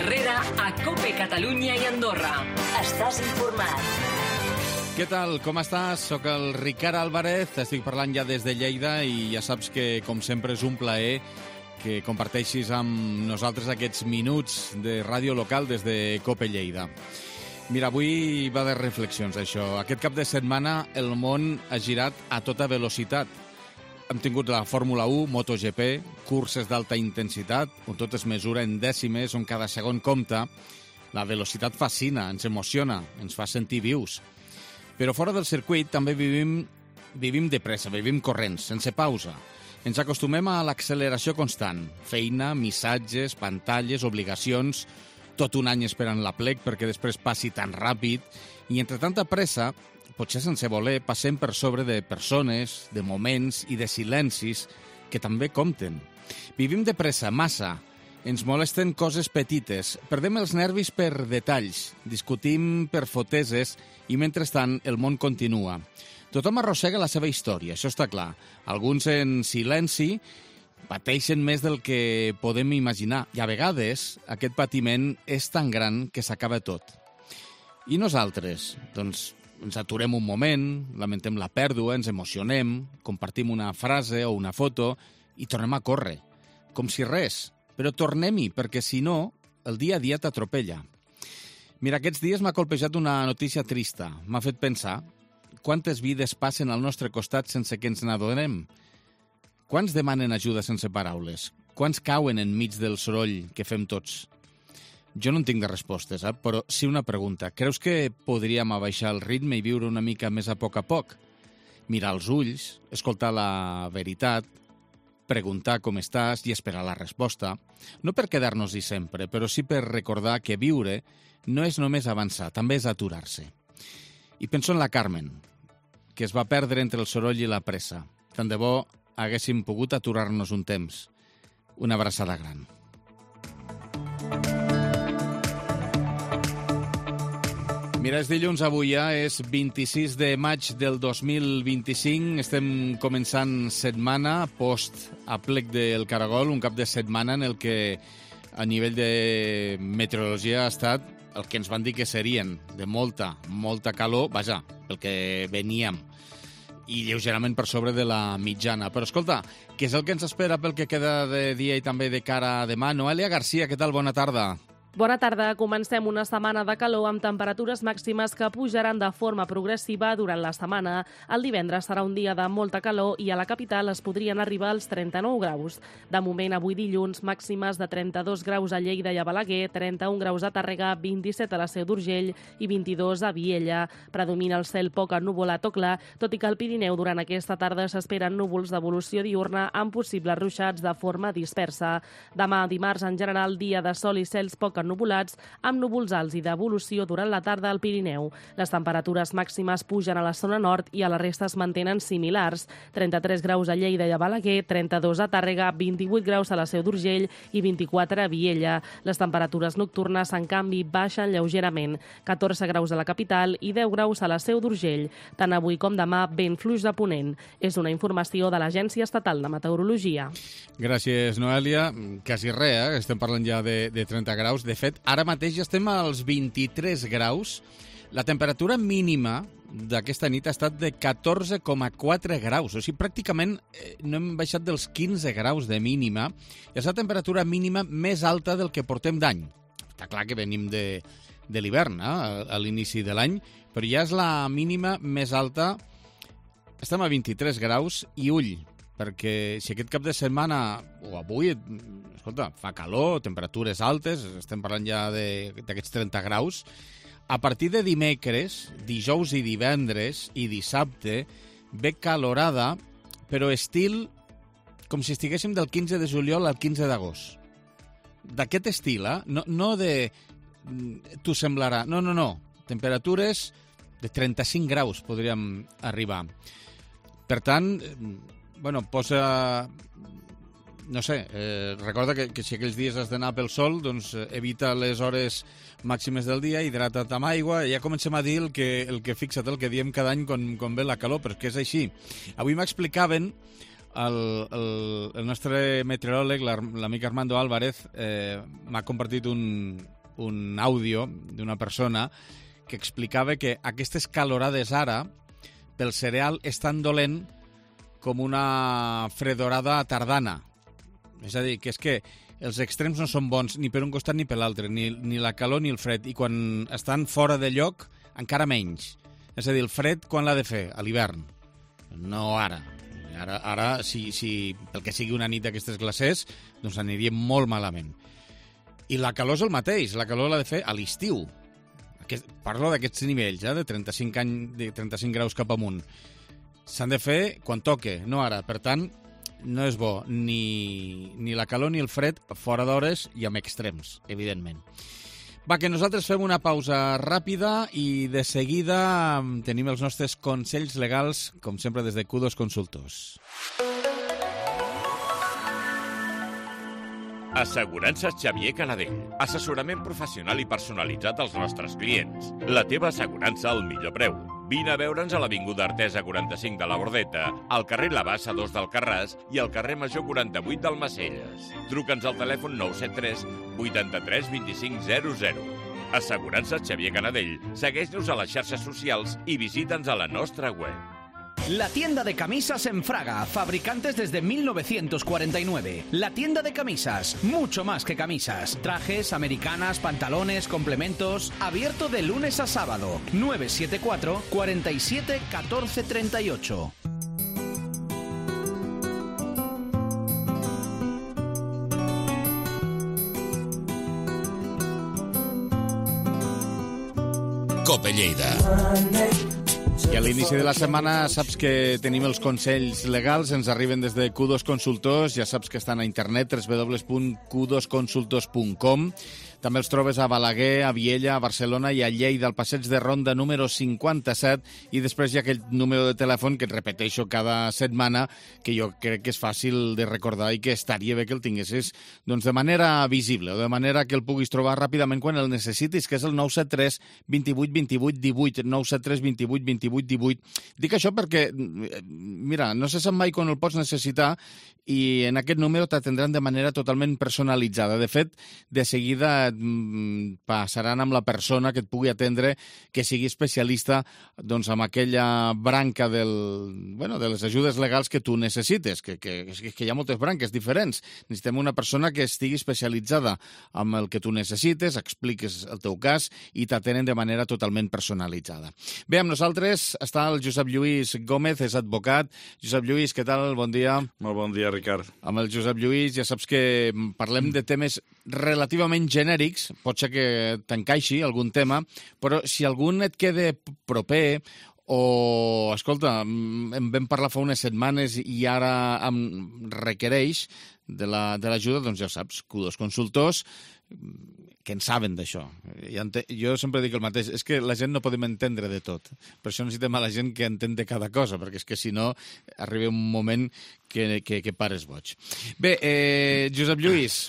Herrera a COPE Catalunya i Andorra. Estàs informat. Què tal? Com estàs? Soc el Ricard Álvarez, estic parlant ja des de Lleida i ja saps que, com sempre, és un plaer que comparteixis amb nosaltres aquests minuts de ràdio local des de COPE Lleida. Mira, avui va de reflexions, això. Aquest cap de setmana el món ha girat a tota velocitat. Hem tingut la Fórmula 1, MotoGP, curses d'alta intensitat, on tot es mesura en dècimes, on cada segon compta. La velocitat fascina, ens emociona, ens fa sentir vius. Però fora del circuit també vivim de pressa, vivim corrents, sense pausa. Ens acostumem a l'acceleració constant. Feina, missatges, pantalles, obligacions, tot un any esperant l'aplec perquè després passi tan ràpid. I entre tanta pressa, potser sense voler, passem per sobre de persones, de moments i de silencis que també compten. Vivim de pressa, massa. Ens molesten coses petites, perdem els nervis per detalls, discutim per foteses i, mentrestant, el món continua. Tothom arrossega la seva història, això està clar. Alguns en silenci pateixen més del que podem imaginar i, a vegades, aquest patiment és tan gran que s'acaba tot. I nosaltres? Doncs ens aturem un moment, lamentem la pèrdua, ens emocionem, compartim una frase o una foto i tornem a córrer, com si res. Però tornem-hi, perquè si no, el dia a dia t'atropella. Mira, aquests dies m'ha colpejat una notícia trista. M'ha fet pensar quantes vides passen al nostre costat sense que ens n'adonem. Quants demanen ajuda sense paraules? Quants cauen enmig del soroll que fem tots? Jo no en tinc de respostes, però sí una pregunta. Creus que podríem abaixar el ritme i viure una mica més a poc? Mirar als ulls, escoltar la veritat, preguntar com estàs i esperar la resposta. No per quedar-nos-hi sempre, però sí per recordar que viure no és només avançar, també és aturar-se. I penso en la Carmen, que es va perdre entre el soroll i la pressa. Tant de bo haguéssim pogut aturar-nos un temps. Una abraçada gran. Mira, és dilluns avui, és 26 de maig del 2025. Estem començant setmana post-aplec del Caragol, un cap de setmana en el que a nivell de meteorologia ha estat el que ens van dir que serien, de molta calor, vaja, el que veníem, i lleugerament per sobre de la mitjana. Però escolta, què és el que ens espera pel que queda de dia i també de cara a demà? Noelia Garcia, què tal? Bona tarda. Bona tarda. Comencem una setmana de calor amb temperatures màximes que pujaran de forma progressiva durant la setmana. El divendres serà un dia de molta calor i a la capital es podrien arribar als 39 graus. De moment, avui dilluns, màximes de 32 graus a Lleida i a Balaguer, 31 graus a Tàrrega, 27 a la Seu d'Urgell i 22 a Viella. Predomina el cel poc ennuvolat o clar, tot i que al Pirineu durant aquesta tarda s'esperen núvols d'evolució diurna amb possibles ruixats de forma dispersa. Demà, dimarts, en general, dia de sol i cels poc ennubulats, amb núvols alts i d'evolució durant la tarda al Pirineu. Les temperatures màximes pugen a la zona nord i a la resta es mantenen similars. 33 graus a Lleida i a Balaguer, 32 a Tàrrega, 28 graus a la Seu d'Urgell i 24 a Viella. Les temperatures nocturnes, en canvi, baixen lleugerament. 14 graus a la capital i 10 graus a la Seu d'Urgell. Tant avui com demà, vent fluix de ponent. És una informació de l'Agència Estatal de Meteorologia. Gràcies, Noelia. Quasi res, estem parlant ja de 30 graus. De fet, ara mateix ja estem als 23 graus. La temperatura mínima d'aquesta nit ha estat de 14,4 graus. O sigui, pràcticament no hem baixat dels 15 graus de mínima. És la temperatura mínima més alta del que portem d'any. Està clar que venim de l'hivern, a l'inici de l'any, però ja és la mínima més alta. Estem a 23 graus i ull, perquè si aquest cap de setmana, o avui, escolta, fa calor, temperatures altes, estem parlant ja d'aquests 30 graus, a partir de dimecres, dijous i divendres i dissabte, ve calorada, però estil com si estiguéssim del 15 de juliol al 15 d'agost. D'aquest estil, no de... t'ho semblarà. No. Temperatures de 35 graus podríem arribar. Per tant, posa... No sé, recorda que si aquells dies has d'anar pel sol, doncs evita les hores màximes del dia, hidrata't amb aigua, ja comencem a dir el que fixa't, el que diem cada any quan ve la calor, però és que és així. Avui m'explicaven El nostre meteoròleg, l'amic Armando Álvarez, m'ha compartit un àudio d'una persona que explicava que aquestes calorades ara pel cereal és tan dolent com una fredorada tardana. És a dir, que és que els extrems no són bons ni per un costat ni per l'altre, ni la calor ni el fred, i quan estan fora de lloc encara menys. És a dir, el fred quan l'ha de fer? A l'hivern, no ara. Ara si pel que sigui una nit d'aquestes glacers, doncs aniria molt malament. I la calor és el mateix, la calor l'ha de fer a l'estiu. Parlo d'aquests nivells, de 35 graus cap amunt. S'han de fer quan toque, no ara. Per tant, no és bo ni la calor ni el fred fora d'hores i amb extrems, evidentment. Va, que nosaltres fem una pausa ràpida i de seguida tenim els nostres consells legals, com sempre des de Q2 Consultors. Assegurances Xavier Canadell. Assessorament professional i personalitzat als nostres clients. La teva assegurança al millor preu. Vine a veure'ns a l'Avinguda Artesa 45 de la Bordeta, al carrer La Bassa 2 d'Alcarràs i al carrer Major 48 d'Almacelles. Truca'ns al telèfon 973 83 25 00. Assegurances Xavier Canadell. Segueix-nos a les xarxes socials i visita'ns a la nostra web. La tienda de camisas en Fraga, fabricantes desde 1949. La tienda de camisas, mucho más que camisas. Trajes, americanas, pantalones, complementos. Abierto de lunes a sábado. 974 47 14 38. Cope Lleida. I a l'inici de la setmana saps que tenim els consells legals, ens arriben des de Q2 Consultors, ja saps que estan a internet, www.q2consultors.com. També els trobes a Balaguer, a Viella, a Barcelona i a Lleida, al passeig de Ronda número 57, i després hi ha aquell número de telèfon que et repeteixo cada setmana, que jo crec que és fàcil de recordar i que estaria bé que el tinguessis doncs, de manera visible, o de manera que el puguis trobar ràpidament quan el necessitis, que és el 973 28 28 18, 973 28 28 18. Dic això perquè, mira, no se sap mai quan el pots necessitar i en aquest número t'atendran de manera totalment personalitzada. De fet, de seguida passaran amb la persona que et pugui atendre, que sigui especialista doncs, amb aquella branca de les ajudes legals que tu necessites, que hi ha moltes branques diferents. Necessitem una persona que estigui especialitzada amb el que tu necessites, expliques el teu cas i t'atenen de manera totalment personalitzada. Bé, amb nosaltres està el Josep Lluís Gómez, és advocat. Josep Lluís, què tal? Bon dia. Molt bon dia, Ricard. Amb el Josep Lluís ja saps que parlem de temes relativament genèrics, pot ser que t'encaixi algun tema, però si algun et queda proper o, escolta, en vam parlar fa unes setmanes i ara em requereix de l'ajuda, doncs ja saps, Q2 Consultors, que en saben d'això. Jo sempre dic el mateix, és que la gent no podem entendre de tot. Per això necessitem a la gent que entén de cada cosa, perquè és que si no arriba un moment que pares boig. Bé, Josep Lluís,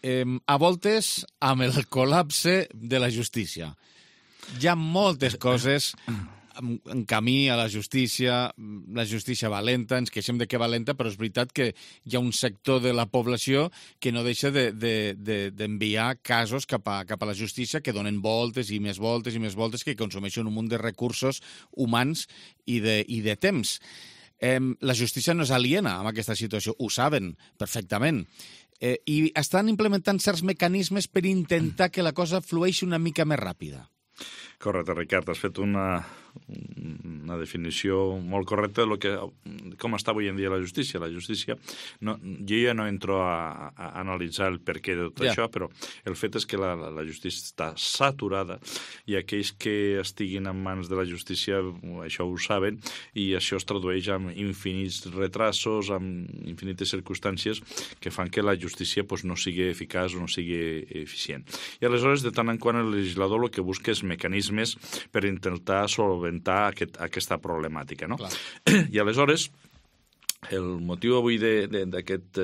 a voltes amb el col·lapse de la justícia. Hi ha moltes coses en camí a la justícia valenta, ens queixem de que valenta, però és veritat que hi ha un sector de la població que no deixa d'enviar casos cap a la justícia, que donen voltes i més voltes i més voltes, que consumeixen un munt de recursos humans i de temps. La justícia no és aliena a aquesta situació, ho saben perfectament. I estan implementant certs mecanismes per intentar que la cosa flueixi una mica més ràpida. Correcte, Ricard, has fet una definició molt correcta de com està avui en dia la justícia. La justícia, jo ja no entro a analitzar el perquè de tot això, però el fet és que la justícia està saturada i aquells que estiguin en mans de la justícia això ho saben i això es tradueix en infinits retrasos, en infinites circumstàncies que fan que la justícia no sigui eficaç o no sigui eficient. I aleshores, de tant en quant, el legislador el que busca és mecanismes per intentar solventar aquesta problemàtica, no? I aleshores el motiu avui d'aquest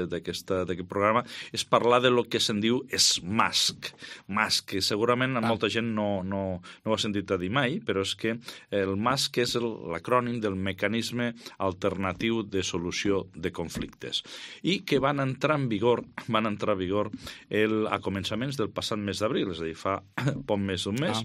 programa és parlar de lo que se'n diu SMASC. MASC, que segurament molta gent no ho ha sentit a dir mai, però és que el MASC és l'acrònim del Mecanisme Alternatiu de Solució de Conflictes i que van entrar en vigor a començaments del passat mes d'abril, és a dir, fa poc més d'un mes.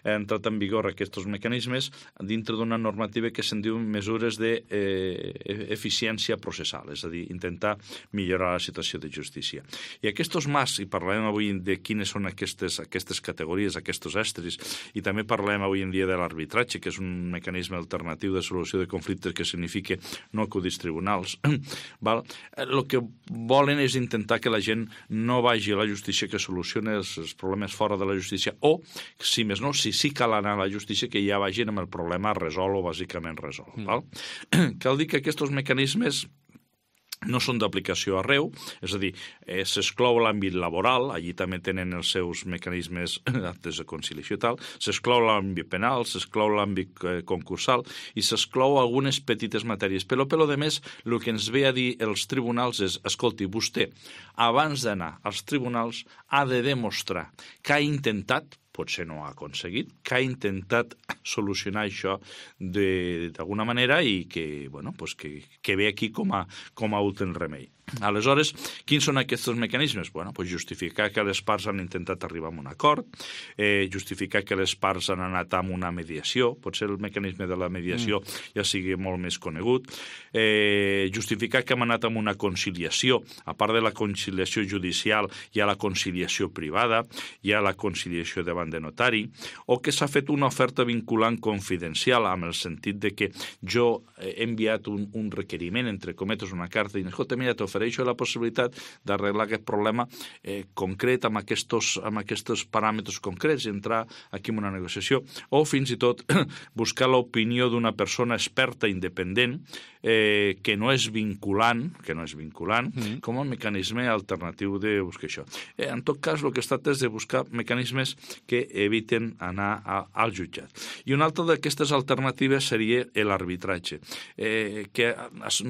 Ha entrat en vigor aquests mecanismes dintre d'una normativa que se'n diu mesures d'eficiència processal, és a dir, intentar millorar la situació de justícia. I aquests MAS, i parlarem avui de quines són aquestes categories, aquests estris, i també parlem avui en dia de l'arbitratge, que és un mecanisme alternatiu de solució de conflictes que significa no acudir als tribunals. El que volen és intentar que la gent no vagi a la justícia, que solucioni els problemes fora de la justícia, o, si més no, si sí cal anar a la justícia, que ja vagin amb el problema resolt o bàsicament resolt. Cal dir que aquests mecanismes no són d'aplicació arreu, és a dir, s'exclou l'àmbit laboral, allí també tenen els seus mecanismes d'actes de conciliació i tal, s'exclou l'àmbit penal, s'exclou l'àmbit concursal i s'exclou algunes petites matèries. Però de més, el que ens ve a dir els tribunals és, escolti, vostè, abans d'anar als tribunals, ha de demostrar que ha intentat, potser no ha aconseguit, que ha intentat solucionar això d'alguna manera i que ve aquí com a últim remei. Aleshores, quins són aquests mecanismes? Justificar que les parts han intentat arribar a un acord, justificar que les parts han anat a una mediació, potser el mecanisme de la mediació ja sigui molt més conegut, justificar que hem anat a una conciliació, a part de la conciliació judicial hi ha la conciliació privada, hi ha la conciliació davant de notari, o que s'ha fet una oferta vinculant confidencial, amb el sentit de que jo he enviat un requeriment, entre cometes, una carta, i escolta, mira, t'ofereixo la possibilitat d'arreglar aquest problema concret amb aquests paràmetres concrets i entrar aquí en una negociació, o fins i tot buscar l'opinió d'una persona experta independent que no és vinculant, com a mecanisme alternatiu de buscar això. En tot cas, el que es tracta és de buscar mecanismes que eviten anar al jutjat. I una altra d'aquestes alternatives seria l'arbitratge, que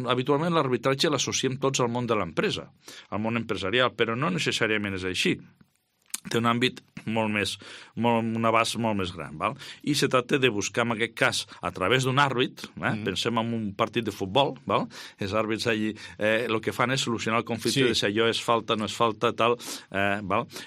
habitualment l'arbitratge l'associem tots al món de l'empresa, al món empresarial, però no necessàriament és així. Té un àmbit un abast molt més gran. I se tracta de buscar, en aquest cas, a través d'un àrbit, pensem en un partit de futbol, els àrbits allí el que fan és solucionar el conflicte de si allò és falta, no és falta, tal,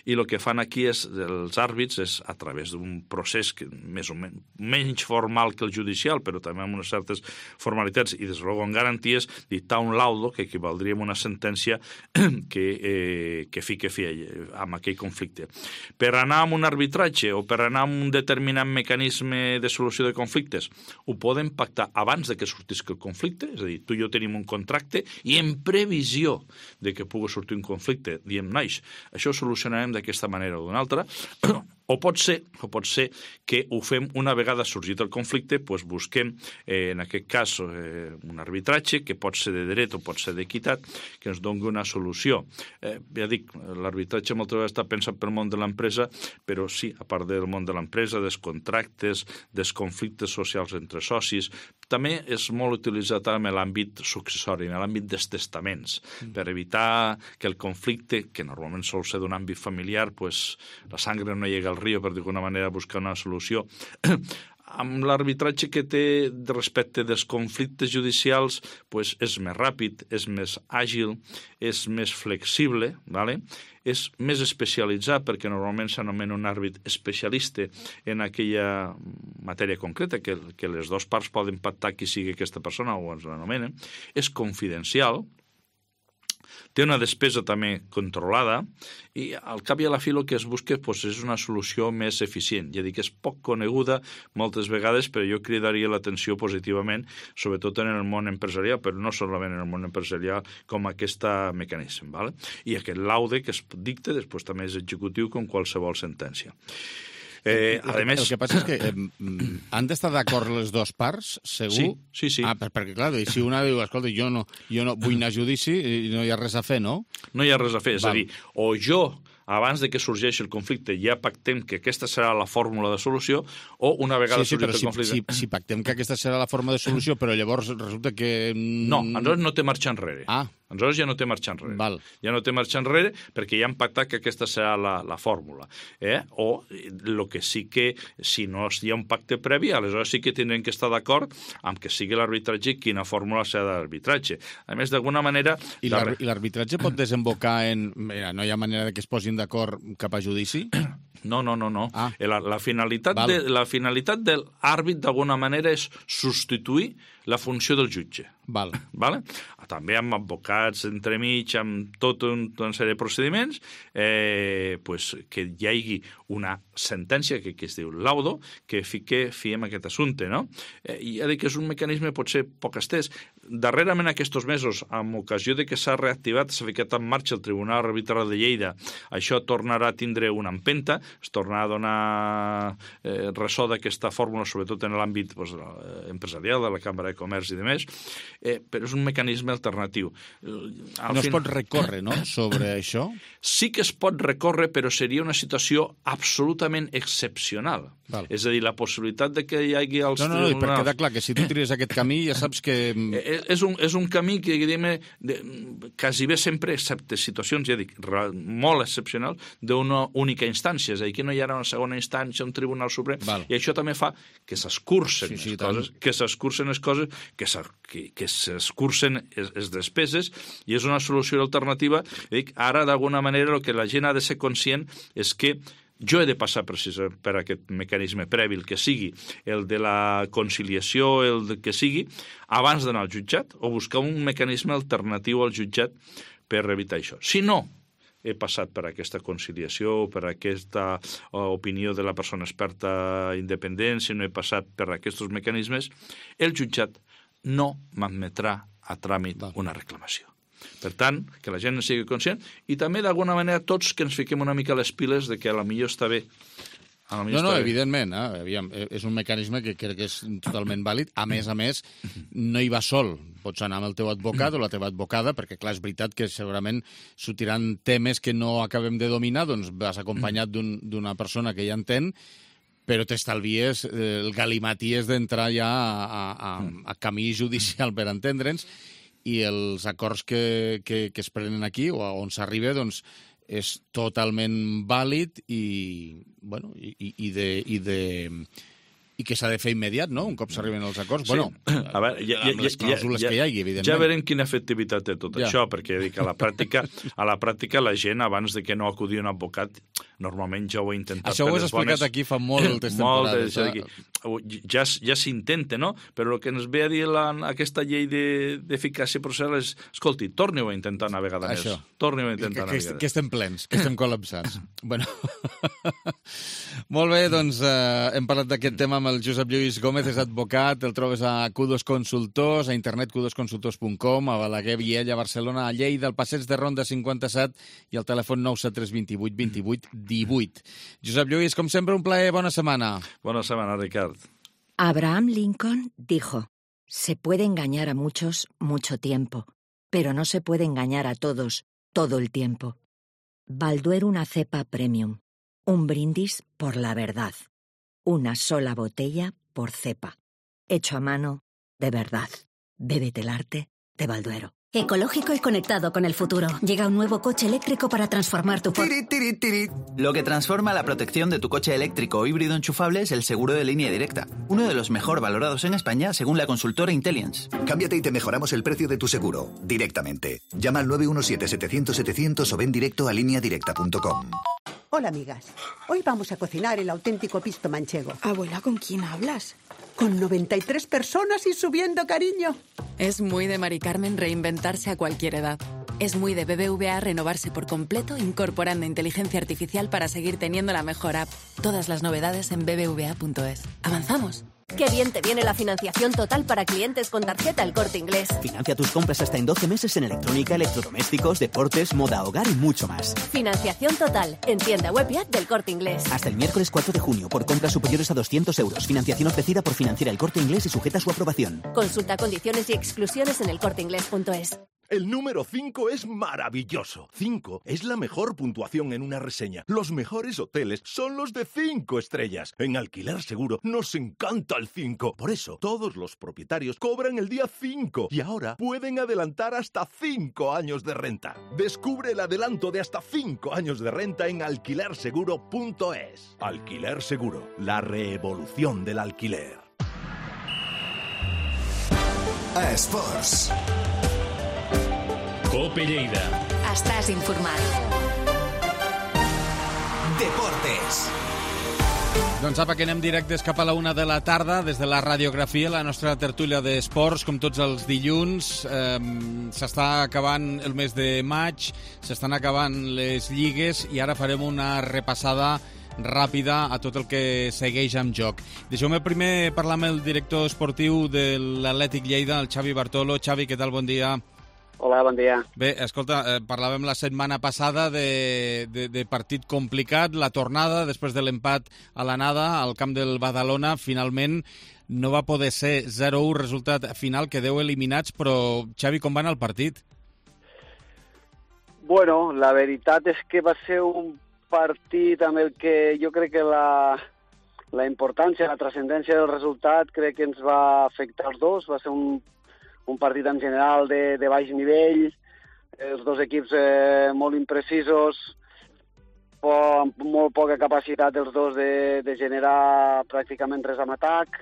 i el que fan aquí és, els àrbits, és a través d'un procés que més o menys formal que el judicial, però també amb unes certes formalitats i, des de amb garanties, dictar un laudo, que equivaldria a una sentència que fica fi amb aquell conflicte. Per anar amb un arbitratge o per anar amb un determinat mecanisme de solució de conflictes, ho podem pactar abans de que sortisca el conflicte, és a dir, tu i jo tenim un contracte i en previsió de que pugui sortir un conflicte, diem, nois, això ho solucionarem d'aquesta manera o d'una altra, o pot ser que ho fem una vegada sorgit el conflicte, doncs busquem, en aquest cas, un arbitratge, que pot ser de dret o pot ser d'equitat, que ens doni una solució. Ja dic, l'arbitratge moltes vegades està pensat pel món de l'empresa, però sí, a part del món de l'empresa, dels contractes, dels conflictes socials entre socis, també és molt utilitzat en l'àmbit successori, en l'àmbit dels testaments, per evitar que el conflicte, que normalment sol ser d'un àmbit familiar, doncs la sangre no llega al riu, per d'alguna manera buscar una solució. Amb l'arbitratge que té respecte dels conflictes judicials, doncs és més ràpid, és més àgil, és més flexible, és més especialitzat, perquè normalment s'anomena un àrbit especialista en aquella matèria concreta, que les dues parts poden pactar qui sigui aquesta persona o ens l'anomenen, és confidencial, té una despesa també controlada i al cap i a la fi el que es busca és una solució més eficient. Ja dic, és poc coneguda moltes vegades, però jo cridaria l'atenció positivament, sobretot en el món empresarial, però no solament en el món empresarial, com aquest mecanisme. I aquest laude que es dicta després també és executiu com qualsevol sentència. El que passa és que han d'estar d'acord les dues parts, segur? Sí. Perquè, clar, si una diu, escolta, jo no vull anar a judici i no hi ha res a fer, no? No hi ha res a fer, és a dir, o jo abans de que sorgeixi el conflicte, ja pactem que aquesta serà la fórmula de solució, o una vegada sorgit el conflicte... Si pactem que aquesta serà la forma de solució, però llavors resulta que... No, aleshores no té marxa enrere. Aleshores ja no té marxa enrere. Val. Ja no té marxa enrere perquè ja han pactat que aquesta serà la fórmula. O el que sí que, si no hi ha un pacte previ, aleshores sí que tindrem que estar d'acord amb que sigui l'arbitratge i quina fórmula serà d'arbitratge. A més, d'alguna manera... I l'arbitratge pot desembocar en... Mira, no hi ha manera que es posin d'acord cap a judici? No. La finalitat de l'àrbit, d'alguna manera, és substituir la funció del jutge. Vale? També amb advocats entremig, amb tota una sèrie de procediments, que hi hagi una sentència que es diu laudo, que fiem aquest assumpte, no? I ja dic que és un mecanisme potser poc estès. Darrerament aquests mesos, amb ocasió de que s'ha reactivat, s'ha ficat en marxa el Tribunal Arbitral de Lleida, això tornarà a tindre una empenta, es tornarà a donar ressò d'aquesta fórmula, sobretot en l'àmbit empresarial de la Cambra de Comerç i demés, però és un mecanisme alternatiu. No es pot recórrer, no?, sobre això? Sí que es pot recórrer, però seria una situació absolutament excepcional. Val. És a dir, la possibilitat de que hi hagi els tribunals... No, per quedar clar, que si tu tries aquest camí ja saps que... És un camí que, diguem-ne, quasi bé sempre, excepte situacions, ja dic, molt excepcionals, d'una única instància. És a dir, que no hi ha una segona instància, un tribunal suprem, i això també fa que s'escurcen les coses, que s'escurcen les despeses, i és una solució alternativa. Dic, ara, d'alguna manera, el que la gent ha de ser conscient és que jo he de passar precisament per aquest mecanisme previ, el que sigui, el de la conciliació, el que sigui, abans d'anar al jutjat, o buscar un mecanisme alternatiu al jutjat per evitar això. Si no he passat per aquesta conciliació, per aquesta opinió de la persona experta independent, si no he passat per aquests mecanismes, el jutjat no m'admetrà a tràmit una reclamació. Per tant, que la gent en sigui conscient i també, d'alguna manera, tots que ens fiquem una mica a les piles de que potser està bé. No, evidentment, és un mecanisme que crec que és totalment vàlid. A més, no hi va sol. Pots anar amb el teu advocat o la teva advocada, perquè, clar, és veritat que segurament sortiran temes que no acabem de dominar, doncs vas acompanyat d'una persona que ja entén, però t'estalvies el galimaties d'entrar ja a camí judicial per entendre'ns, i els acords que es prenen aquí, o on s'arriba, doncs, és totalment vàlid i que s'ha de fer immediat, no?, un cop s'arriben els acords. Sí. Amb les clàusules que hi hagi, evidentment. Ja veurem quina efectivitat té tot això, perquè dic, a la pràctica la gent, abans de que no acudi un advocat, normalment ja ho ha intentat. Això ho has explicat aquí fa moltes temporades. Ja s'intenta, no? Però el que ens ve a dir aquesta llei d'eficàcia processal és, escolti, torni-ho a intentar una vegada més. Torni-ho a intentar una vegada més. Que estem plens, que estem col·lapsats. Molt bé, doncs hem parlat d'aquest tema amb el Josep Lluís Gómez, és advocat, el trobes a Kudos Consultors, a internet kudosconsultors.com, a Balaguer, Viella, a Barcelona, a Lleida, al Passeig de Ronda 57 i al telèfon 973 28 28 18. Josep Lluís, com sempre, un plaer, bona setmana. Bona setmana, Ricard. Abraham Lincoln dijo, se puede engañar a muchos mucho tiempo, pero no se puede engañar a todos todo el tiempo. Balduero, una cepa premium. Un brindis por la verdad. Una sola botella por cepa. Hecho a mano, de verdad. Bébete el arte de Balduero. Ecológico y conectado con el futuro. Llega un nuevo coche eléctrico para transformar tu... Lo que transforma la protección de tu coche eléctrico o híbrido enchufable es el seguro de línea directa. Uno de los mejor valorados en España según la consultora Intelliance. Cámbiate y te mejoramos el precio de tu seguro, directamente. Llama al 917-700-700 o ven directo a lineadirecta.com. Hola, amigas. Hoy vamos a cocinar el auténtico pisto manchego. Abuela, ¿con quién hablas? Con 93 personas y subiendo, cariño. Es muy de Mari Carmen reinventarse a cualquier edad. Es muy de BBVA renovarse por completo, incorporando inteligencia artificial para seguir teniendo la mejor app. Todas las novedades en bbva.es. ¡Avanzamos! ¡Qué bien te viene la financiación total para clientes con tarjeta El Corte Inglés! Financia tus compras hasta en 12 meses en electrónica, electrodomésticos, deportes, moda, hogar y mucho más. Financiación total en tienda web y app del Corte Inglés. Hasta el miércoles 4 de junio por compras superiores a 200 euros. Financiación ofrecida por Financiera El Corte Inglés y sujeta a su aprobación. Consulta condiciones y exclusiones en elcorteinglés.es. El número 5 es maravilloso. 5 es la mejor puntuación en una reseña. Los mejores hoteles son los de 5 estrellas. En Alquiler Seguro nos encanta el 5. Por eso, todos los propietarios cobran el día 5 y ahora pueden adelantar hasta 5 años de renta. Descubre el adelanto de hasta 5 años de renta en alquilerseguro.es. Alquiler Seguro, la revolución del alquiler. A Esports. Cope Lleida. Estàs informat. Deportes. Doncs apa, que anem directes cap a la 1 de la tarda des de la radiografia, la nostra tertúlia d'esports, com tots els dilluns. S'està acabant el mes de maig, s'estan acabant les lligues i ara farem una repassada ràpida a tot el que segueix en joc. Deixeu-me primer parlar amb el director esportiu de l'Atlètic Lleida, el Xavi Bartolo. Xavi, què tal? Bon dia. Hola, bon dia. Bé, escolta, parlàvem la setmana passada de partit complicat, la tornada després de l'empat a l'anada al camp del Badalona, finalment no va poder ser 0-1 resultat final, quedeu eliminats, però Xavi, com va anar el partit? Bueno, la veritat és que va ser un partit amb el que jo crec que la importància, la transcendència del resultat crec que ens va afectar els dos. Va ser un partit en general de baix nivell, els dos equips molt imprecisos, amb molt poca capacitat els dos de generar pràcticament res amb atac,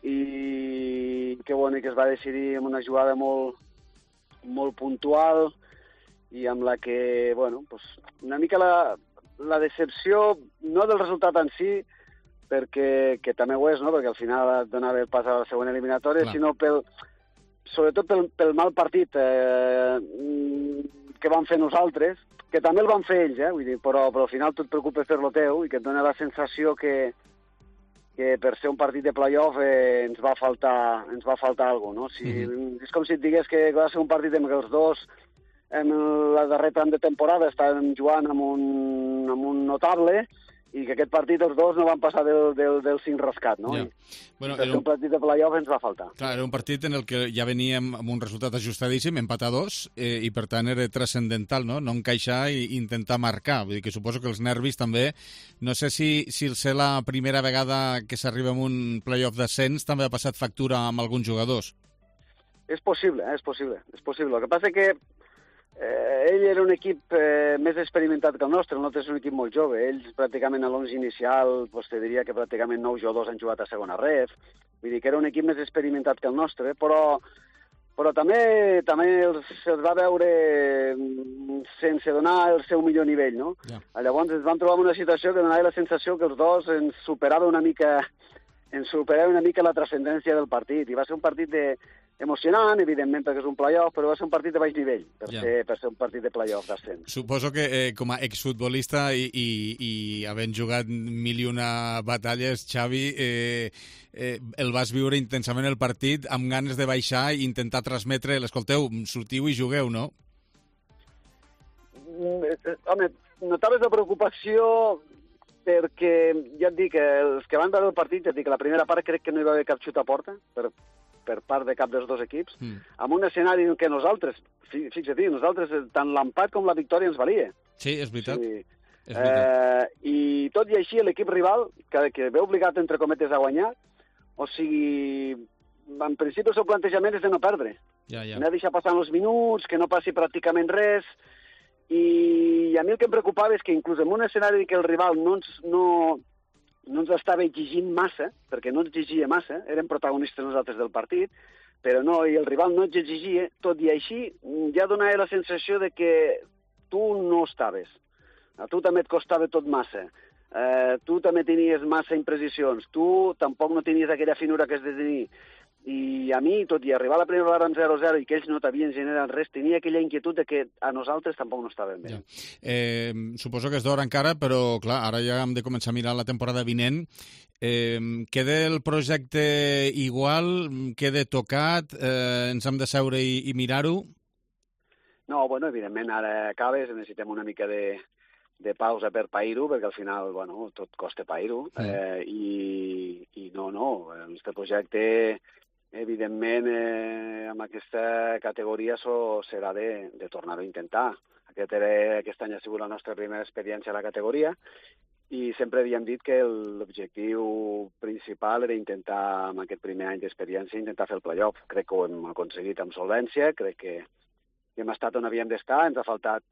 i que bueno, que es va decidir en una jugada molt puntual i amb la que, bueno, pues, una mica la decepció, no del resultat en si, perquè que també ho és, no? Perquè al final donava el pas a la següent eliminatòria, sinó sobretot pel mal partit que vam fer nosaltres, que també el van fer ells, vull dir, però al final tu et preocupes per lo teu i que et dona la sensació que per ser un partit de play-off ens va faltar alguna cosa, no? És com si et digués que va ser un partit en què els dos en la darrer tram de temporada estàvem jugant amb un notable i que aquest partit els dos no van passar del 5 rascat, no? Ja. Bueno, per ser un partit de play-off ens va faltar. Clar, era un partit en el que ja veníem amb un resultat ajustadíssim, empat a 2, i per tant era transcendental, no? No encaixar i intentar marcar. Vull dir que suposo que els nervis també... No sé si el ser la primera vegada que s'arriba a un play-off d'ascens també ha passat factura amb alguns jugadors. És possible. El que passa que ell era un equip més experimentat que el nostre és un equip molt jove. Ells pràcticament a l'11 inicial, te diria que pràcticament 9 jugadors han jugat a segona ref. Vull dir que era un equip més experimentat que el nostre, però també se'ls va veure sense donar el seu millor nivell, no? Yeah. Llavors ens vam trobar en una situació que donava la sensació que els dos ens superava una mica la transcendència del partit, i va ser un partit emocionant, evidentment, perquè és un play-off, però va ser un partit de baix nivell, per ser un partit de play-off d'ascens. Suposo que com a exfutbolista i havent jugat 1001 batalles, Xavi, el vas viure intensament el partit amb ganes de baixar i intentar transmetre l'escolteu, sortiu i jugueu, no? Home, notaves la preocupació perquè, ja et dic, els que van veure el partit, ja et dic, la primera part crec que no hi va haver cap xut a porta, per part de cap dels dos equips, amb un escenari en què nosaltres, fixa-t'hi, tant l'empat com la victòria ens valia. Sí, és veritat. I tot i així l'equip rival, que ve obligat, entre cometes, a guanyar, o sigui, en principi el seu plantejament és de no perdre. No deixar passar els minuts, que no passi pràcticament res, i a mi el que em preocupava és que inclús en un escenari que el rival no ens estava exigint massa, perquè no ens exigia massa, érem protagonistes nosaltres del partit, però no, i el rival no ens exigia, tot i així ja donava la sensació de que tu no estaves. A tu també et costava tot massa. Tu també tenies massa imprecisions. Tu tampoc no tenies aquella finura que has de tenir. I a mi, tot i arribar a la primera vegada en 0-0 i que ells no t'havien generat res, tenia aquella inquietud de que a nosaltres tampoc no estàvem bé. Suposo que és d'hora encara, però clar, ara ja hem de començar a mirar la temporada vinent. Queda el projecte igual? Queda tocat? Ens hem de seure i mirar-ho? No, bueno, evidentment, ara acabes, necessitem una mica de pausa per pair-ho, perquè al final, bueno, tot costa pair-ho, i no, el nostre projecte evidentment, amb aquesta categoria serà de tornar-ho a intentar. Aquest any ha sigut la nostra primera experiència a la categoria i sempre havíem dit que l'objectiu principal era intentar, amb aquest primer any d'experiència, intentar fer el playoff. Crec que ho hem aconseguit amb solvència, crec que hem estat on havíem d'estar, ens ha faltat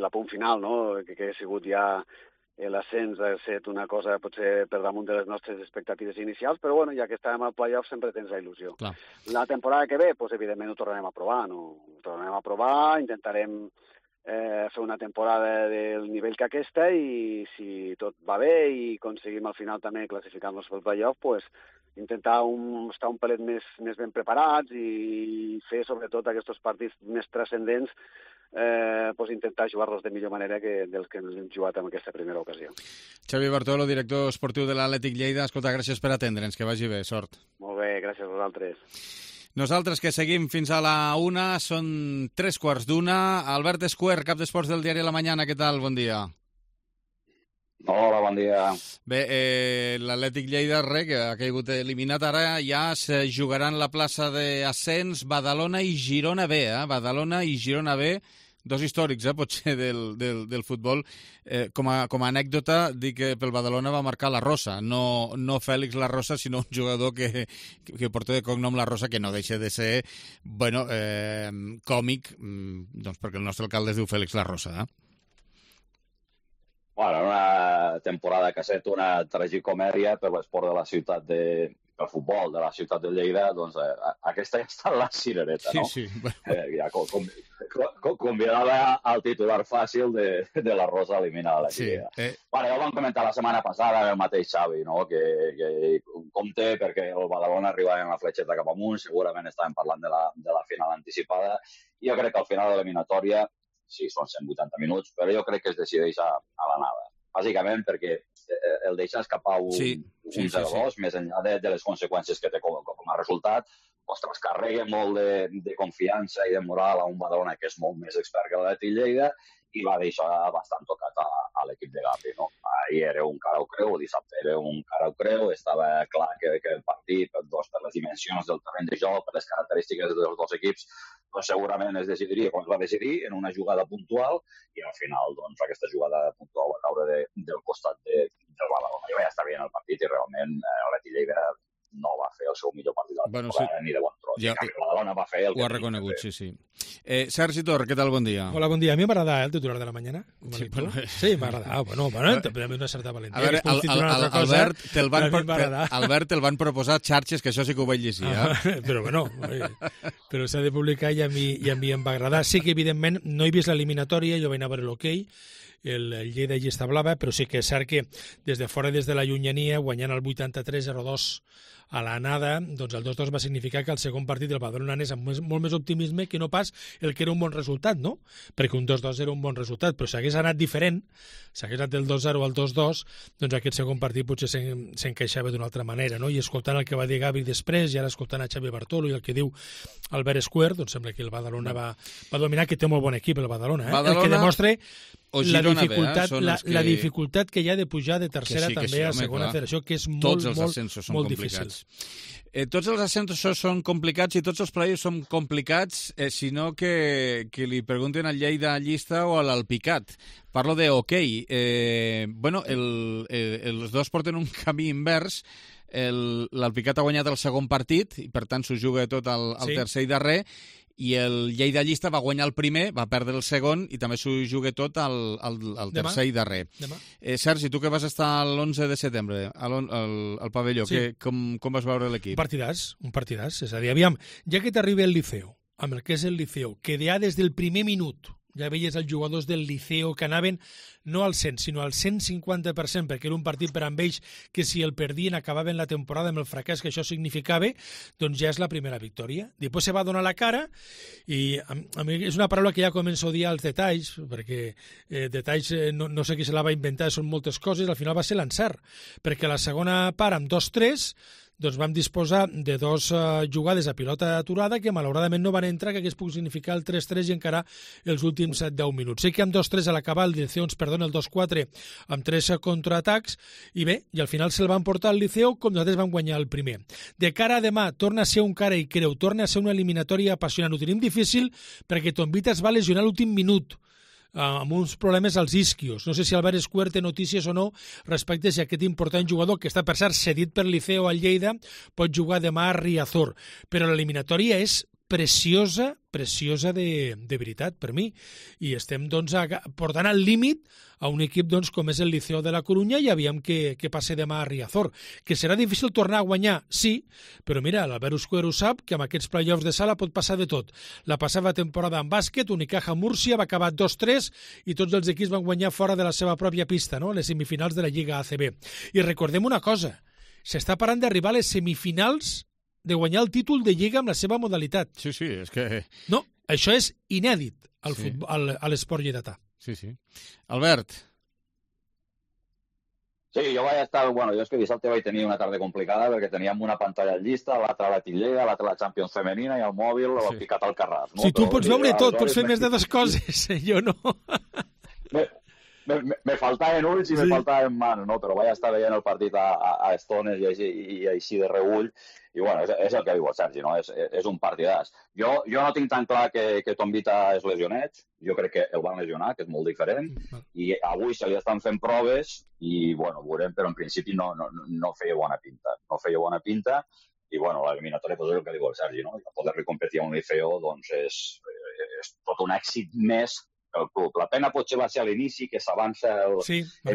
l'apunt final, no? Que ha sigut ja l'ascens, ha estat una cosa potser per damunt de les nostres expectatives inicials, però bueno, ja que estàvem al playoff sempre tens la il·lusió. Clar. La temporada que ve, evidentment ho tornarem a provar, intentarem fer una temporada del nivell que aquesta i si tot va bé i aconseguim al final també classificar-nos pel playoff, intentar estar un pelet més ben preparats i fer sobretot aquests partits més transcendents, intentar jugar-los de millor manera que dels que ens hem jugat en aquesta primera ocasió. Xavi Bartolo, director esportiu de l'Atlètic Lleida, escolta, gràcies per atendre'ns, que vagi bé, sort. Molt bé, gràcies a vosaltres. Nosaltres que seguim fins a la 1, són 3:15. Albert Escuer, cap d'esports del diari La Mañana, què tal? Bon dia. Hola, bon dia. Bé, l'Atlètic Lleida, que ha caigut eliminat, ara ja se jugaran la plaça d'ascens Badalona i Girona B. Badalona i Girona B, dos històrics, potser, del futbol. Com a anècdota, dic que pel Badalona va marcar la Rosa, no Fèlix La Rosa, sinó un jugador que porta de cognom La Rosa, que no deixa de ser, còmic, doncs perquè el nostre alcalde es diu Fèlix La Rosa. Bueno, una temporada que ha estat una tragicomèdia per l'esport de la ciutat pel futbol de la ciutat de Lleida, doncs aquesta ja està en la cirereta, no? Sí. Ja convidava al titular fàcil de la Rosa eliminada. Sí. Bueno, ja ho vam comentar la setmana passada el mateix Xavi, no? Que compte perquè el Badalona arribava en la fletxeta cap amunt, segurament estàvem parlant de la final anticipada, i jo crec que al final de l'eliminatòria, sí, són 180 minuts, però jo crec que es decideix a l'anada. Bàsicament perquè el deixa escapar un 0-2, més enllà de les conseqüències que té com a resultat, ostres, carrega molt de confiança i de moral a un Badalona que és molt més expert que l'Atlètic Lleida i va deixar bastant tocat a l'equip de Gavi, no? Ahir era un cara o creu, dissabte era un cara o creu, estava clar que el partit, per les dimensions del terreny de joc, per les característiques dels dos equips, doncs segurament es decidiria com es va decidir, en una jugada puntual, i al final doncs, aquesta jugada puntual va caure del costat del Badalona. I ja està bé en el partit i realment l'Atlètic Lleida no va fer el seu millor partit de la temporada, ni de bon tros. Ja, el Badalona va fer el que... Ho ha reconegut, sí. Sergi Tor, què tal? Bon dia. Hola, bon dia. A mi m'agrada el titular de La Mañana. Sí, m'agrada. Bueno, també una certa valentia. A veure, Albert, te'l van proposar xarxes, que això sí que ho vaig llegir. Però bueno, però s'ha de publicar i a mi em va agradar. Sí que, evidentment, no he vist l'eliminatòria, jo vaig anar a veure l'hoquei, el Lleida i està blava, però sí que és cert que des de fora, des de la llunyania, guanyant el 83-02 a l'anada, doncs el 2-2 va significar que el segon partit del Badalona anés amb molt més optimisme que no pas el que era un bon resultat, no? Perquè un 2-2 era un bon resultat, però si hagués anat diferent, si hagués anat del 2-0 al 2-2, doncs aquest segon partit potser s'encaixava d'una altra manera, no? I escoltant el que va dir Gavi després, i ara escoltant a Xavi Bartolo i el que diu Albert Escuer, doncs sembla que el Badalona va dominar, que té molt bon equip el Badalona, el que demostra la dificultat que hi ha de pujar de tercera també a segona federació, que és molt difícil. Tots els ascensos són complicats i tots els playoffs són complicats, sinó que li pregunten al Lleida llista o a l'Alpicat. Parlo de hoquei. Els dos porten un camí invers. L'Alpicat ha guanyat el segon partit i, per tant, s'ho juga tot al tercer i darrer, i el Lleida llista va guanyar el primer, va perdre el segon i també s'ho juga tot al tercer i darrer. Sergi, tu que vas estar l'11 de setembre al pavelló, com vas veure l'equip? Un partidàs. És a dir, aviam, ja que t'arriba el Liceo, amb el que és el Liceo, que ja des del primer minut ja veies els jugadors del Liceo que anaven no al 100, sinó al 150%, perquè era un partit per amb ells que si el perdien acabaven la temporada amb el fracàs que això significava, doncs ja és la primera victòria. Després se va donar la cara i a mi és una paraula que ja començo a odiar els detalls, perquè detalls no sé qui se la va inventar, són moltes coses, al final va ser l'encert, perquè la segona part amb 2-3 doncs vam disposar de 2 jugades a pilota aturada que malauradament no van entrar, que hagués pogut significar el 3-3 i encara els últims 10 minuts. Sé que amb 2-3 a l'acabar el Liceo ens perdona el 2-4 amb 3 contraatacs i bé, i al final se'l van portar al Liceo com nosaltres vam guanyar el primer. De cara a demà, torna a ser un cara i creu, torna a ser una eliminatòria apassionant. Ho tenim difícil perquè Tombita es va lesionar l'últim minut amb uns problemes als isquios. No sé si Albert Escuer té notícies o no respecte a si aquest important jugador, que està per cert cedit per Liceo al Lleida, pot jugar demà a Riazor. Però l'eliminatòria és preciosa de veritat per mi. I estem doncs, portant al límit a un equip doncs, com és el Liceo de la Corunya i aviam què passa demà a Riazor. Que serà difícil tornar a guanyar, sí, però mira, l'Albert Escuer ho sap, que amb aquests play-offs de sala pot passar de tot. La passada temporada en bàsquet, Unicaja Múrcia va acabar 2-3 i tots els equips van guanyar fora de la seva pròpia pista, no? Les semifinals de la Lliga ACB. I recordem una cosa, s'està parlant d'arribar a les semifinals de guanyar el títol de Lliga amb la seva modalitat. Sí, és que... No, això és inèdit a l'esport lleidatà. Sí. Albert. Sí, jo vaig estar... Bueno, jo és que dissabte vaig tenir una tarda complicada perquè teníem una pantalla llista, l'altra la Lleida, l'altra la Champions femenina i el mòbil l'ho picat al Carràs. No? Si tu pots veure tot, pots fer més de 2 coses, jo no. Me faltaven ulls i me faltaven mans, no? Però vaig estar veient el partit a estones i així de reüll. I bueno, és el que diu el Sergi, no? És un partidàs. Jo no tinc tan clar que Tombita és lesionet. Jo crec que el van lesionar, que és molt diferent. I avui se li estan fent proves i, bueno, veurem, però en principi no feia bona pinta. No feia bona pinta i, bueno, l'eliminatòria és el que diu el Sergi, no? Poder-li competir a un Liceo, doncs, és tot un èxit més el club. La pena potser va ser a l'inici, que s'avança el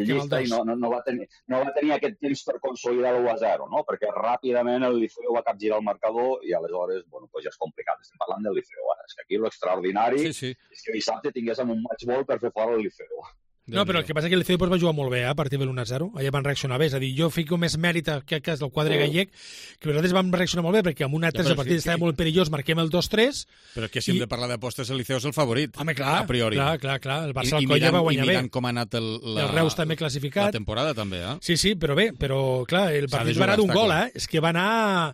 llista i no va tenir aquest temps per consolidar l'1-0, no? Perquè ràpidament el Liceo va capgirar el marcador i aleshores, bueno, pues ja és complicat. Estem parlant del Liceo ara. És que aquí l'extraordinari és que dissabte tinguéssim un match ball per fer fora el Liceo. No, però el que passa és que el Liceo va jugar molt bé a partir de l'1-0. Allà van reaccionar bé. És a dir, jo fico més mèrit a aquest cas del quadre gallec, que nosaltres vam reaccionar molt bé perquè amb 1-3 el partit estava molt perillós, marquem el 2-3. Però que si hem de parlar d'apostes, el Liceo és el favorit. Home, clar, a priori. Clar. El Barça al Colla va guanyar bé. I mirant com ha anat el Reus també classificat. La temporada també, eh? Sí, però bé, clar, el partit va anar d'un gol, És que va anar...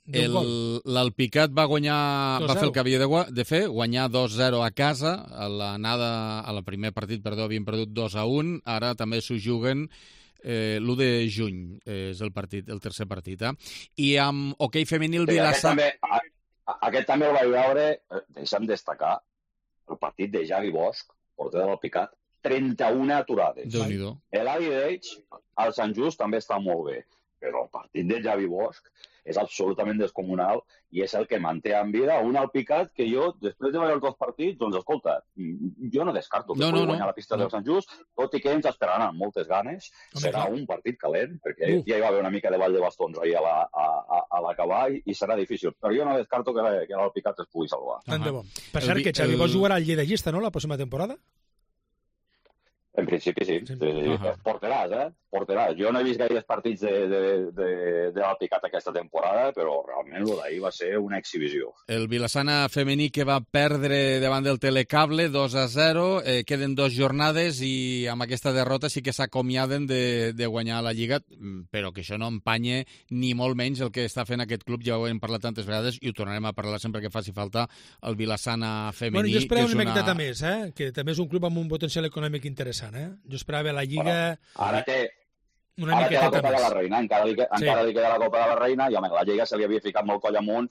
L'Alpicat va fer el que havia de fer, guanyar 2-0 a casa, al primer partit, havien perdut 2-1, ara també s'ho juguen l'1 de juny, és el tercer partit. I amb hoquei femení el Vilassar... Aquest també el vaig veure, deixa'm destacar, el partit de Javi Bosch, porter de l'Alpicat, 31 aturades. Déu-n'hi-do. L'Avi d'Eix, al Sant Just, també està molt bé, però el partit de Javi Bosch és absolutament descomunal i és el que manté en vida un Alpicat que jo, després de veure els 2 partits, doncs, escolta, jo no descarto que pugui guanyar la pista del Sant Just, tot i que ens esperaran amb moltes ganes. Serà un partit calent, perquè ja hi va haver una mica de ball de bastons ahir a l'acabar i serà difícil. Però jo no descarto que l'Alpicat es pugui salvar. Tant de bo. Per cert, que Xavi Bosch jugarà al Lleida llista, no?, la pròxima temporada? En principi sí. Porteràs. Jo no he vist gaires partits de l'Alpicat aquesta temporada, però realment el d'ahir va ser una exhibició. El Vilassana femení que va perdre davant del Telecable 2-0, queden 2 jornades i amb aquesta derrota sí que s'acomiaden de guanyar la Lliga, però que això no empanye ni molt menys el que està fent aquest club, ja ho hem parlat tantes vegades i ho tornarem a parlar sempre que faci falta el Vilassana femení. Bueno, jo esperava una miqueta més, que també és un club amb un potencial econòmic interessant. Jo esperava la Lliga... Ara té la Copa de la Reina, encara li queda la Copa de la Reina, i home, la Lliga se li havia ficat molt coll amunt,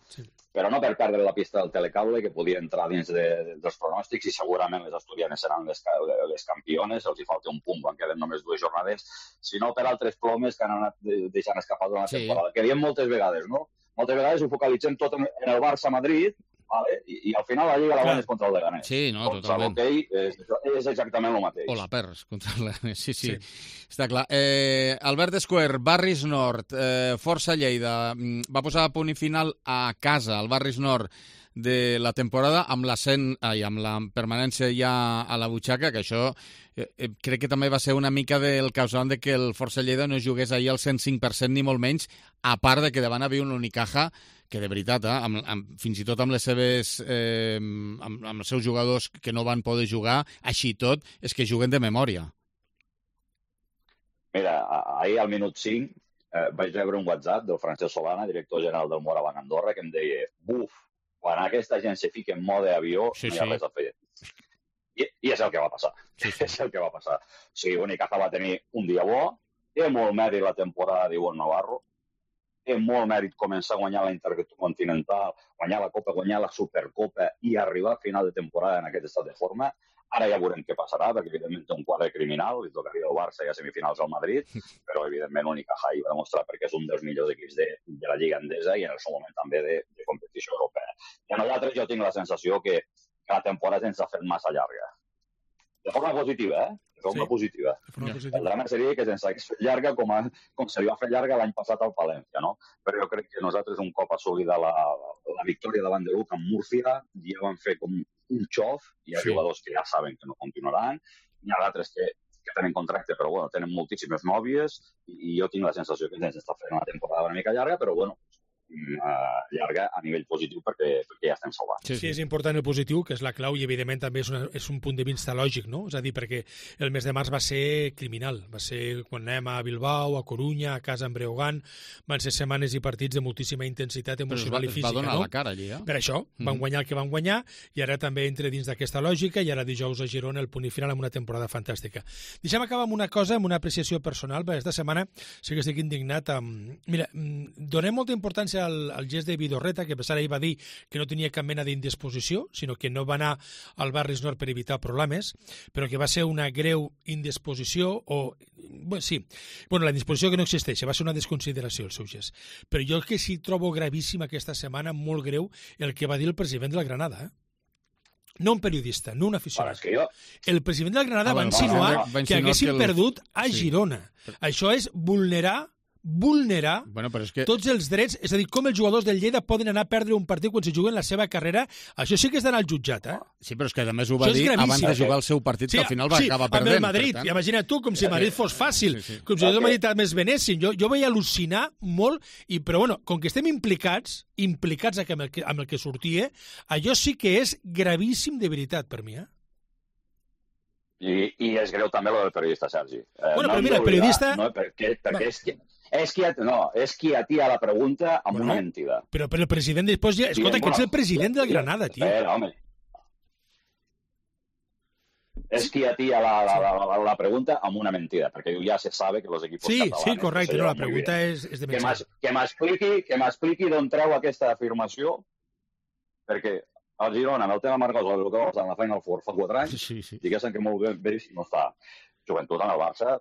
però no per perdre la pista del Telecable, que podia entrar dins dels pronòstics, i segurament les asturianes seran les campiones, els hi falta un punt, quan queden només 2 jornades, sinó per altres plomes que han anat deixant escapar durant la temporada. Que diem moltes vegades, no? Moltes vegades ho focalitzem tot en el Barça-Madrid, vale? I al final la Lliga la guanyes contra el Leganés. Sí, no, totalment. Contra l'hoquei és exactament el mateix. O la perds contra el Leganés, sí. Està clar. Albert Escuer, Barris Nord, Força Lleida, va posar a punt i final a casa, al Barris Nord, de la temporada amb la permanència ja a la butxaca, que això crec que també va ser una mica del causant de que el Força Lleida no jugués ahir al 105% ni molt menys, a part de que davant havia un Unicaja que de veritat, fins i tot amb les seves amb els seus jugadors que no van poder jugar, així tot, és que juguen de memòria. Mira, ahir al minut 5 vaig rebre un WhatsApp del Francesc Solana, director general del Morabanc Andorra, que em deia, buf, quan aquesta gent se fica en mode avió, no hi ha res a fer. I és el que va passar. És el que va passar. O sigui, Unicaja va tenir un dia bo, té molt mèrit la temporada d'Ivonne Navarro, té molt mèrit començar a guanyar la Intercontinental, guanyar la Copa, guanyar la Supercopa i arribar a final de temporada en aquest estat de forma. Ara ja veurem què passarà, perquè evidentment té un quadre criminal, li tocaria al Barça i a semifinals al Madrid, però evidentment Unicaja hi va demostrar perquè és un dels millors equips de la Lliga Endesa i en el seu moment també de competició europea. I a nosaltres jo tinc la sensació que la temporada ens ha fet massa llarga. De forma positiva, De forma positiva. El drama seria que se'ns hagués fet llarga com se li va fer llarga l'any passat al Palència, no? Però jo crec que nosaltres un cop assolida la victòria davant de l'UC amb Múrcia ja van fer com un xof, hi ha jugadors que ja saben que no continuaran, hi ha d'altres que tenen contracte, però bueno, tenen moltíssimes nòvies i jo tinc la sensació que ens està fent una temporada una mica llarga, però bueno, llarga a nivell positiu perquè ja estem salvant. Sí, és important el positiu, que és la clau, i evidentment també és un punt de vista lògic, no? És a dir, perquè el mes de març va ser criminal, va ser quan anem a Bilbao, a Corunya, a casa en Breogán, van ser setmanes i partits de moltíssima intensitat emocional i física, no? Va donar la cara allí, Per això, van guanyar el que van guanyar, i ara també entra dins d'aquesta lògica, i ara dijous a Girona el punt i final amb una temporada fantàstica. Deixem acabar amb una cosa, amb una apreciació personal, perquè aquesta setmana sí que estic indignat amb... Mira, donem molta importància al gest de Vidorreta, que a pesar ahir va dir que no tenia cap mena d'indisposició, sinó que no va anar al Barris Nord per evitar problemes, però que va ser una greu indisposició, o... Bueno, sí, la indisposició que no existeix, va ser una desconsideració el seu gest. Però jo que sí trobo gravíssim aquesta setmana, molt greu, el que va dir el president del Granada, no un periodista, no un aficionat. El president del Granada va insinuar que haguessin perdut a Girona. Això és vulnerar tots els drets, és a dir, com els jugadors del Lleida poden anar a perdre un partit quan se juguen la seva carrera, això sí que és d'anar al jutjat, Sí, però és que a més ho va dir abans de jugar el seu partit, que al final va acabar perdent. Sí, amb el Madrid, imagina't tu, com si el Madrid fos fàcil, com si el Madrid més venessin. Jo vaig al·lucinar molt, però bueno, com que estem implicats amb el que sortia, allò sí que és gravíssim de veritat per mi, I és greu també lo del periodista, Sergi. Però mira, el periodista... Perquè és qui atia la pregunta amb una mentida. Però el president després ja... Escolta, que ets el president del Granada, tio. Home. És qui atia la pregunta amb una mentida, perquè ja se sabe que els equips catalanes... Sí, correcte, la pregunta és de mentida. Que m'expliqui d'on treu aquesta afirmació, perquè al Girona, amb el tema Marcos, el que va passar en la Final Four fa 4 anys, diguéssim que molt bé no està. Joventut en el Barça,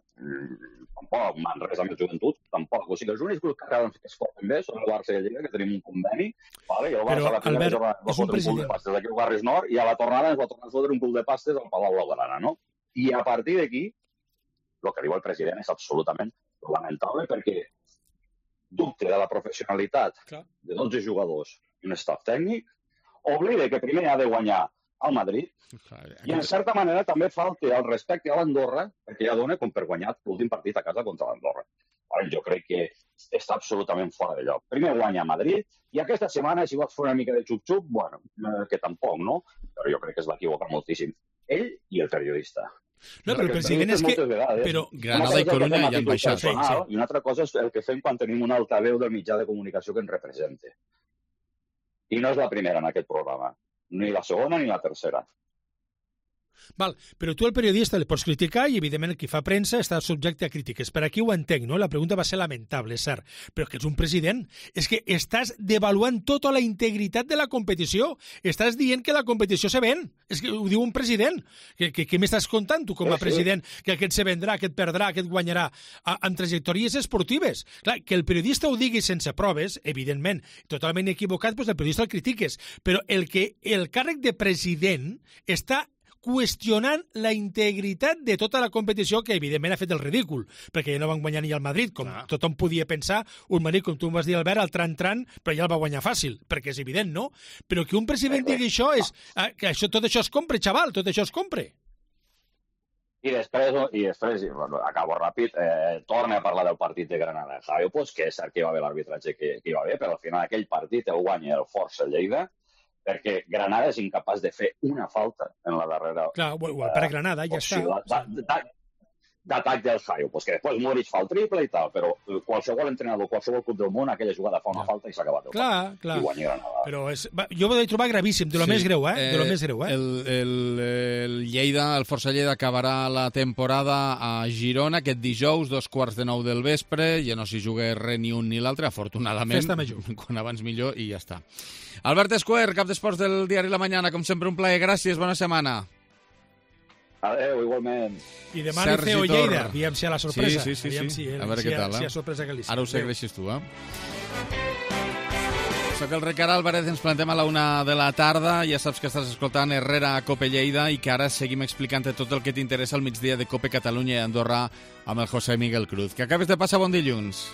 tampoc, Manresa amb el Joventut, tampoc. O sigui, els únics grups que es porten bé són el Barça i el Lleida, que tenim un conveni, i el Barça a la primera jornada va fotre un cul de pastes aquí al Barris Nord, i a la tornada ens va tornar a fotre un cul de pastes al Palau Blaugrana, no? I a partir d'aquí, el que diu el president és absolutament lamentable, perquè dubte de la professionalitat de 12 jugadors i un staff tècnic, oblida que primer ha de guanyar al Madrid, i en certa manera també falta el respecte a l'Andorra, perquè ja dona com per guanyar l'últim partit a casa contra l'Andorra. Jo crec que està absolutament fora de lloc. Primer guanya a Madrid, i aquesta setmana, si vols fer una mica de xup-xup, bueno, que tampoc, no? Però jo crec que es va equivocar moltíssim. Ell i el periodista. No, però el president és que... Però Granada i Corunya ja han baixat. I una altra cosa és el que fem quan tenim un altaveu del mitjà de comunicació que ens representa. I no és la primera en aquest programa. Ni la segona ni la tercera. Val, però tu el periodista el pots criticar i evidentment el qui fa premsa està subjecte a crítiques. Per aquí ho entenc, no? La pregunta va ser lamentable, és cert, però que ets un president. És que estàs devaluant tota la integritat de la competició. Estàs dient que la competició se ven. És que ho diu un president. Què m'estàs contant tu com a president? Que aquest se vendrà, que et perdrà, que et guanyarà amb trajectòries esportives. Clar, que el periodista ho digui sense proves, evidentment, totalment equivocat, doncs el periodista el critiques. Però el càrrec de president està qüestionant la integritat de tota la competició, que evidentment ha fet el ridícul, perquè ja no van guanyar ni al Madrid, com tothom podia pensar, un Madrid, com tu em vas dir, Albert, al tran-tran, però ja el va guanyar fàcil, perquè és evident, no? Però que un president digui això, que tot això es compre, xaval, tot això es compre. I després, acabo ràpid, torna a parlar del partit de Granada. Javier, pues que és cert que hi va haver l'arbitratge que hi va haver, però al final aquell partit el guanya el Força Lleida, perquè Granada és incapaç de fer una falta en la darrera... Clar, per Granada, ja està. d'atac del Jaio, pues que després Muric fa el triple i tal, però qualsevol entrenador, qualsevol club del món, aquella jugada fa una falta i s'ha acabat. Clar. I guanya Granada. Però jo ho vaig trobar gravíssim, de lo més greu, de lo més greu, El Lleida, el Força Lleida acabarà la temporada a Girona aquest dijous, 8:45 del vespre, ja no s'hi juga res ni un ni l'altre, afortunadament. Festa major. Quan abans millor i ja està. Albert Esquer, cap d'esports del diari La Mañana, com sempre un plaer, gràcies, bona setmana. Adéu, igualment. I demà li feu Lleida, aviam si hi ha la sorpresa. Sí. A veure què tal, si hi ha sorpresa que li Ara ho segueixes tu, Soc el Ricard Álvarez, ens plantem a la 1 de la tarda. Ja saps que estàs escoltant Herrera a Cope Lleida i que ara seguim explicant tot el que t'interessa al migdia de Cope Catalunya i Andorra amb el José Miguel Cruz. Que acabes de passar bon dilluns.